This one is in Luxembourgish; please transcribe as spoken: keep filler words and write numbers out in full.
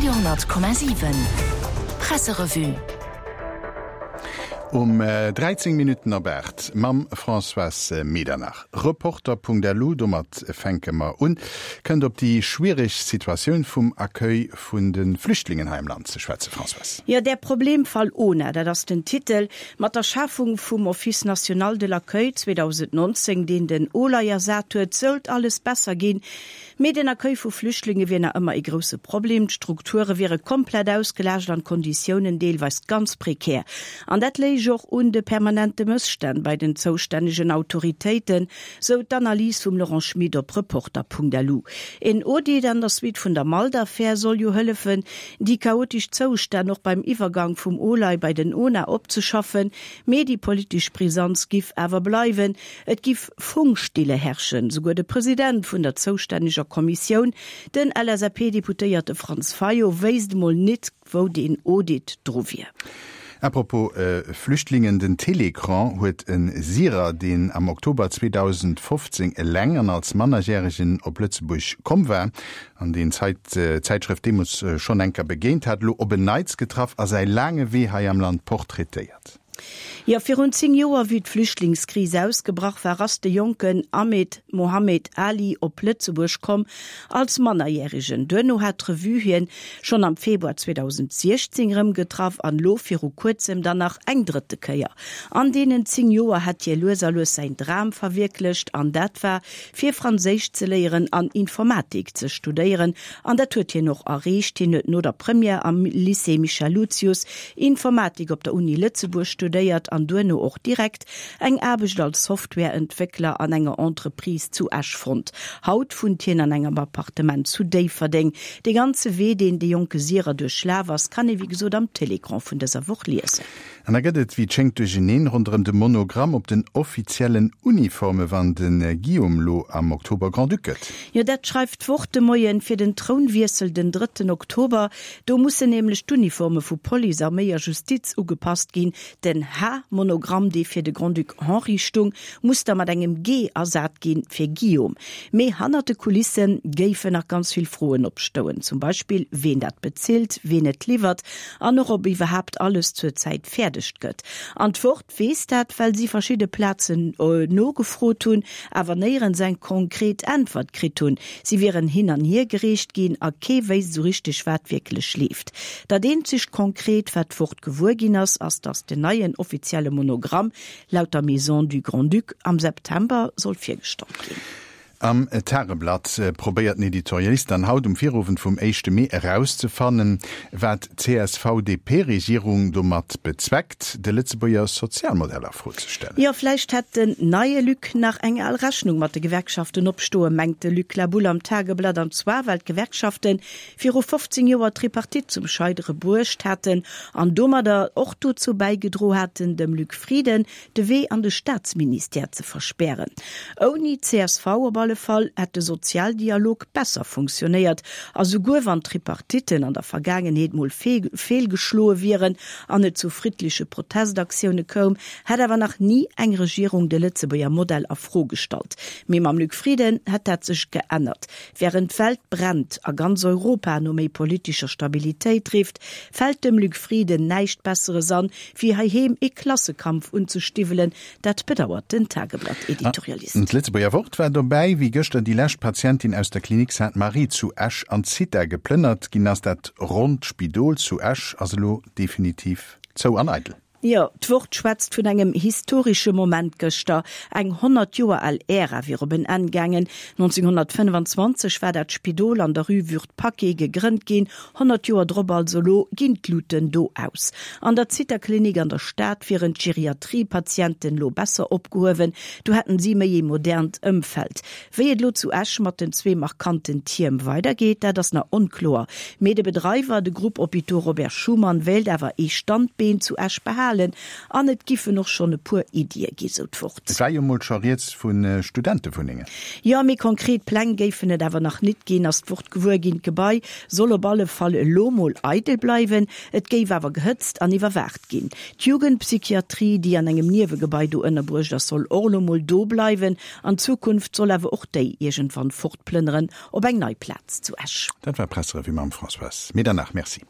Radio honnert Komma siwen Presserevue. Um dräizéng Minutten op aacht mam Françoise Medernach. Reporter.lu, domat fänke mer un, kënnt op déi schwiereg Situatioun vum Accueil vun de Flüchtlingen hei am Land ze schwätzen. Françoise. Jo, der Problemfall O N A, dat ass den Titel. Mat der Schafung vum Office national de l'accueil zweedausendnonzéng, deen den OLAI ersat huet, sollt alles besser ginn. Mee den Accueil vu Flüchtlinge wier nach ëmmer ee grousse Problem. D'Strukture wiere komplett ausgelaascht an d'Konditiounen deelweis ganz prekär. An dat léich och un de permanente Mësstänn bei den zoustännegen Autoritéiten, sou d'Analys vum Laurent Schmit op Reporter.lu. Een Audit an der Suite vun der Malt-Affär soll jo hëllefen, déi chaotesch Zoustänn och beim Iwwergang vum OLAI bei den O N A opzeschaffen, mee déi politesch Brisanz giff awer bleiwen. Et giff Funkstille herrschen. Souguer de President vun der zoustänneger Kommissioun, den L S A P-Deputéierte Franz Fayot, wéisst emol nit, wou deen Audit dru wier. Apropos Flüchtlingen, den Télécran huet e Syrer, deen am Oktober zweedausendfofzéng eleng an als Mannerjäregen op Lëtzebuerg komm war, an deen d'Zäitschrëft deemools schonn eng Kéier begéint hat, elo op en Neits getraff a säi laange Wee hei am Land portraitéiert. Jo, virun zéng Joer, wéi d'Flüchtlingskris ausgebrach war, ass de jonken Ahmed Mohamed Ali op Lëtzebuerg komm, als Mannerjäregen. Duerno hat d'Revue hien schonn am Februar zweedausendsiechzéng erëm getraff an elo viru kuerzem dann nach eng drëtte Kéier. An deenen zéng Joer hätt hie lues a lues säin Dram verwierklecht an dat war, fir Franséisch ze léieren an Informatik ze studéieren. An dat huet hien och erreecht. Hien huet no der Première am Lycée Michel Lucius Informatik op der Uni Lëtzebuerg studéiert an duerno och direkt eng Aarbecht als Softwareentwéckler an enger Entreprise zu Esch fonnt. Haut wunnt hien an engem Appartement zu Déifferdeng. De ganze Wee, deen de jonke Syrer duerchlaf ass, kann ee wéi gesot am Télécran vun dëser Woch liesen. An da gëtt et wéi et schéngt Duercheneen ronderëm de Monogramm op den offiziellen Uniforme wann de Guillaume lo am Oktober Grand-Duc gëtt. Jo, dat schreift d'Wort de Moien. Fir den Trounwiessel den drëtten Oktober, do mussen nämlech d'Uniforme vu Police, Arméi a Justiz ugepasst ginn. Den H-Monogramm, dee fir de Grand-Duc Henri stung, muss da mat engem G ersat ginn, fir Guillaume. Mee hannert de Kulisse géifen nach ganz vill Froen opstoen, zum Beispill ween dat bezilt, ween et liwwert an och ob iwwerhaapt alles zur Zäit fäerdeg gëtt. An d'Wort weess dat, well si verschidde Plazen nogefrot hunn, awer néierens eng konkret Äntwert kritt hunn. Si wieren hin an hier gereecht ginn a kee wéisst esou richteg, wat wierklech leeft. Dat eenzegt Konkret, wat d'Wort gewuer ginn ass, ass, datt den neien offizielle Monogramm laut der Maison du Grand-Duc am September soll virgestallt ginn. Am Tageblatt probéiert den Editorialist dann haut um Virowend vum éischte Mee erauszefannen, wat d'C S V D P-Regierung domat bezweckt, de Lëtzebuerger Sozialmodell a Fro ze stellen. Jo, vläicht hätt den neie Luc nach eng al Rechnung mat de Gewerkschaften opstoen, mengt de Luc La Boule am Tageblatt, an zwar well d'Gewerkschafte viru fofzéng Joer d'Tripartite zum Scheidere bruecht haten an domadder och dozou bäigedro haten, dem Luc Frieden de Wee an de Staatsministère ze verspären. Ouni C S V op alle Fall hätt de Sozialdialog besser funktionéiert a souguer wann d'Tripartitten an der Vergaangenheet mol feelgeschloe wieren an et zu friddleche Protestaktioune koum, hätt awer nach ni eng Regierung de Lëtzebuerger Modell a Fro gestallt. Mee mam Luc Frieden hätt dat sech geännert. Wärend d'Welt brennt a ganz Europa no méi politescher Stabilitéit rifft, fält dem Luc Frieden näischt Besseres an, wéi heiheem ee Klassekampf unzestiwwelen. Dat bedauert den Tageblatt-Editorialist. D'Lëtzebuerger Wort war dobäi, wéi gëschter déi lescht Patientin aus der Klinik Sainte-Marie zu Esch an d'Zitha geplënnert ginn ass. Dat ronnt Spidol zu Esch ass elo definitiv zou an eidel. Jo, d'Wort schwätzt vun engem historesche Moment gëschter. Eng honnert Joer al Ära wier op en Enn gaangen. nonzénghonnertfënnfanzwanzeg war dat Spidol an der Rue Würth-Paquet gegrënnt ginn, honnert Joer drop also elo ginn d'Luuten do aus. An der Zithaklinik an der Stad wieren d'Geriatrie-Patienten elo besser opgehuewen, do hätten si méi ee modernt Ëmfeld. Wéi et elo zu Esch mat den zwee markanten Tierm weidergeet, dat ass nach onkloer. Mee de Bedreiwer, de Groupe Hôpitaux Robert Schuman, wéilt awer ee Standbeen zu Esch behalen. erhalen an et giffen och schonn e puer Iddie gi, sou d'Wort. Et war jo mol scho rieds vu Studentewunnengen. Jo, méi konkret Pläng géifen et awer nach nit ginn, ass d'Wort gewuer ginn. D'Gebai soll op alle Fall elo mol eidel bleiwen, et géif awer gehëtzt an iwwerwaacht ginn. D'Jugendpsychiatrie, déi an engem Niewegebai do ënnerbruecht ass, soll och elo mol do bleiwen. An Zukunft soll awer och déi iergendwann fortplënneren op eng nei Plaz zu Esch. Dat war d'Presserevue mam Françoise Medernach. Merci.